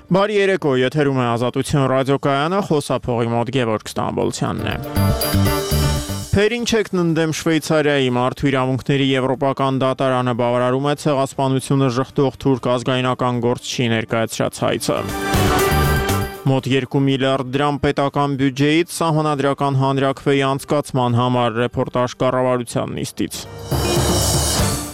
Բարի երեկո, եթերում է Ազատություն ռադիոկայանը, խոսափողի մոտ Գևորգ Ստամբոլցյանն է։ Փերինչեքն ընդդեմ Շվեյցարիայի մարդու իրավունքների եվրոպական դատարանը բավարարում է ցեղասպանությունը ժխտող թուրք ազգայնական գործչի ներկայացրած հայցը։ Մոտ 2 միլիարդ դրամ պետական բյուջեից սահմանադրական հանրաքվեի անցկացման համար ռեպորտաժ կառավարության նիստից։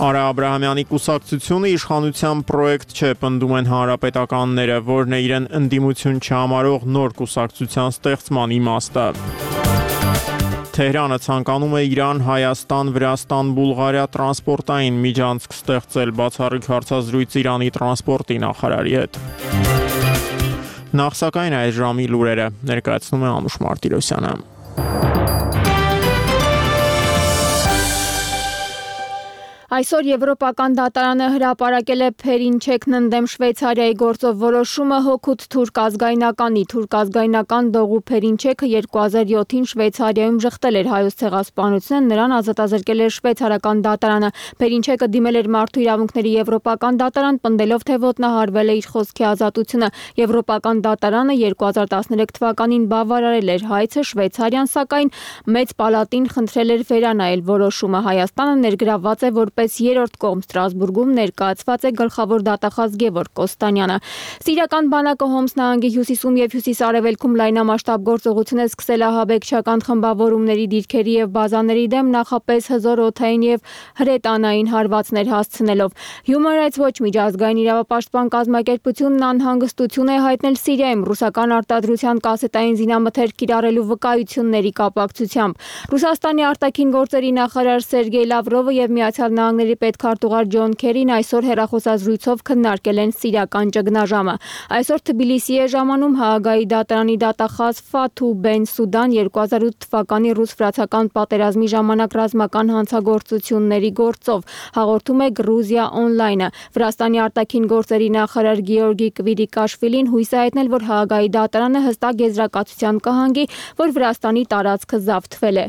Արա Աբրահամյանի կուսակցությունը իշխանության պրոյեկտ չէ, պնդում են հանրապետականները, որն է իրեն ընդդիմություն չհամարող նոր կուսակցության ստեղծման իմաստը։ Թեհրանը ցանկանում է Իրան, Հայաստան, Վրաստան, Բուլղարիա տրանսպորտային միջանցք ստեղծել, բացառիկ հարցազրույց Իրանի տրանսպորտի նախարարի հետ։ Նախ սակայն այս ժամի լուրերը ներկայացնում է Անուշ Մարտիրոսյանը։ Այսօր Եվրոպական դատարանը հրապարակել է Փերինչեքն ընդդեմ Շվեյցարիայի գործով որոշումը հօգուտ թուրք ազգայնականի։ Թուրք ազգայնական Դողու Փերինչեքը 2007-ին Շվեյցարիայում ժխտել էր հայոց ցեղասպանությունը, նրան ազատազրկել էր շվեյցարական դատարանը։ Փերինչեքը դիմել էր մարդու իրավունքների Եվրոպական դատարան, պնդելով, թե ոտնահարվել է իր խոսքի ազատությունը։ Եվրոպական դատարանը 2013 թվականին բավարարել էր հայցը, Շվեյցարիան սակայն մեծ պալատին խնդրել էր վերանայել որոշումը։ Հայաստանը ներգրավված է որպես երրորդ կողմ Ստրասբուրգում, ներկայացված է գլխավոր դատախազ Գևորգ Կոստանյանը։ Սիրիական բանակը Հոմս նահանգի հյուսիսում եւ հյուսիս-արևելքում լայնամասշտաբ գործողություն է սկսել ահաբեկչական խմբավորումների դիրքերի եւ բազաների դեմ, նախապես հզոր օդային եւ հրետանային հարվածներ հասցնելով։ Human Rights Watch միջազգային իրավապաշտպան կազմակերպությունն անհանգստություն է հայտնել Սիրիայում ռուսական արտադրության կասետային զինամթերք կիրառելու վկայությունների կապակցությամբ։ Ռուսաստանի արտաքին գործերի նախարար Սերգեյ Լավրովը եւ Միացյալ Նահանգների պետքարտուղար Ջոն Քերին այսօր հեռախոսազրույցով քննարկել են սիրիական ճգնաժամը։ Այսօր Թբիլիսի է ժամանում Հաագայի դատարանի դատախազ Ֆաթու Բեն Սուդան 2008 թվականի ռուս-ֆրանսիական պատերազմի ժամանակ ռազմական հանցագործությունների գործով, հաղորդում է Գրուզիա օնլայնը։ Վրաստանի արտաքին գործերի նախարար Գեորգի Կվիրիկաշվիլին հույս է հայտնել, որ Հաագայի դատարանը հստակ եզրակացության կհանգի, որ Վրաստանի տարածքը զավթվել է։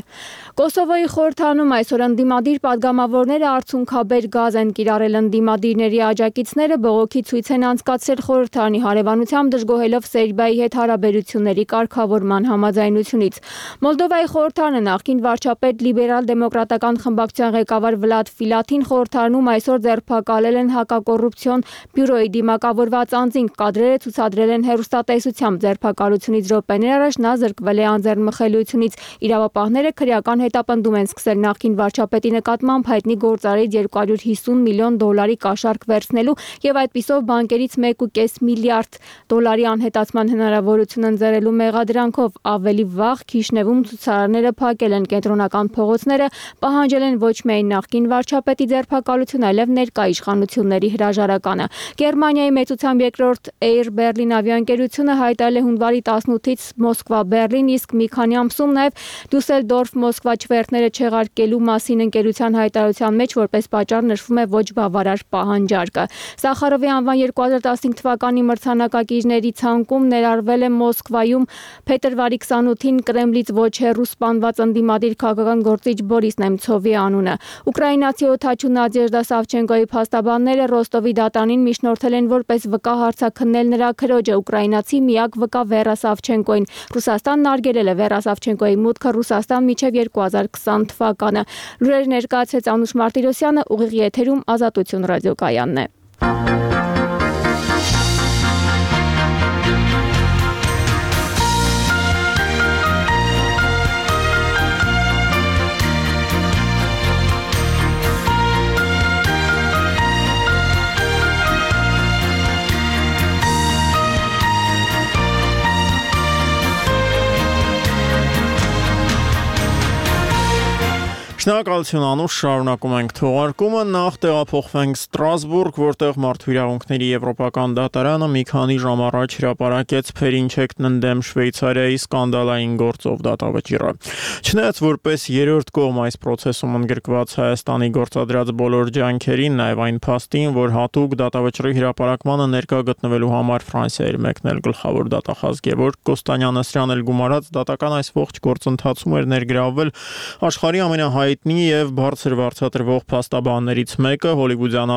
Կոսովոյի խորհրդարանում այսօր ընդդիմադիր падգամավորները արցունքաբեր գազ են կիրառել ընդդիմադիրների աջակիցները, բողոքի ցույց են անցկացրել խորհրդարանի հարևանությամբ, դժգոհելով Սերբիայի հետ հարաբերությունների կարգավորման համաձայնությունից։ Մոլդովայի խորհրդարանը նախկին վարչապետ լիբերալ-դեմոկրատական խմբակցության ղեկավար Վլադ Ֆիլաթին խորհրդարանում այսօր ձերբակալել են հակակոռուպցիոն բյուրոյի դիմակավորված անձին, կադրերը ցուցադրել են հեռուստատեսությամբ։ Ձերբակալությունից րոպեներ առաջ նա զրկվել է անձեռնմխելիությունից։ Իրավապահները քրեական հետապնդում են սկսել նախկին վարչապետի նկատմամբ հայտնի գործարարից $250 միլիոն կաշառք վերցնելու եւ այդպիսով բանկերից $1.5 միլիարդ անհետացման հնարավորություն ընձեռելու մեղադրանքով։ Ավելի վաղ Քիշնևում ցուցարարները փակել են կենտրոնական փողոցները, պահանջել են ոչ միայն նախկին վարչապետի ձերբակալություն, այլև ներկա իշխանությունների հրաժարականը։ Գերմանիայի մեծությամբ երկրորդ Air Berlin ավիաընկերությունը հայտարարել է հունվարի 18-ից Մոսկվա-Բեռլին, իսկ մի քանի ամսում նաեւ Դուսելդորֆ-Մոսկվա չվերթները չեղարկելու մասին ընկերության հայտարարության մեջ որպես պատճառ նշվում է ոչ բավարար պահանջարկը։ Սախարովի անվան 2015 թվականի մրցանակակիրների ցանկում ներառվել է Մոսկվայում փետրվարի 28-ին Կրեմլից ոչ հեռու սպանված ընդդիմադիր քաղաքական գործիչ Բորիս Նեմցովի անունը։ Ուկրաինացի օդաչու Նադեժդա Սավչենկոյի փաստաբանները Ռոստովի դատարանին միջնորդել են որպես վկա հարցաքննել նրա քրոջը, ուկրաինացի միակ վկա Վերա Սավչենկոին։ Ռուսաստանն արգելել է Վերա Սավչենկոյի մուտքը Ռուսաստան մինչև 2020 թվականը։ Լուրեր ներկայացրեց Անուշ Մարտիրոսյանը, ուղիղ եթերում Ազատություն ռադիոկայանն է։ Շնորհակալություն Անուշ, շարունակում ենք թողարկումը, նախ տեղափոխվենք Ստրասբուրգ, որտեղ մարդու իրավունքների եվրոպական դատարանը մի քանի ժամ առաջ հրապարակեց Փերինչեքն ընդդեմ Շվեյցարիայի սկանդալային գործով դատավճիռը։ Չնայած որպես երրորդ կողմ այս process-ում ընդգրկված Հայաստանի գործադրած բոլոր ջանքերին, նաև այն փաստին, որ հատուկ դատավճիռի հրապարակմանը ներկա գտնվելու համար Ֆրանսիա էր մեկնել գլխավոր դատախազ Գևորգ Կոստանյանը, սրան էլ գումարած դատական այս ողջ գործընթացում էր ներգրավվել աշխարհի ամենահայտնի եւ բարձր վարձատրվող փաստաբաններից մեկը, հոլիվուդյան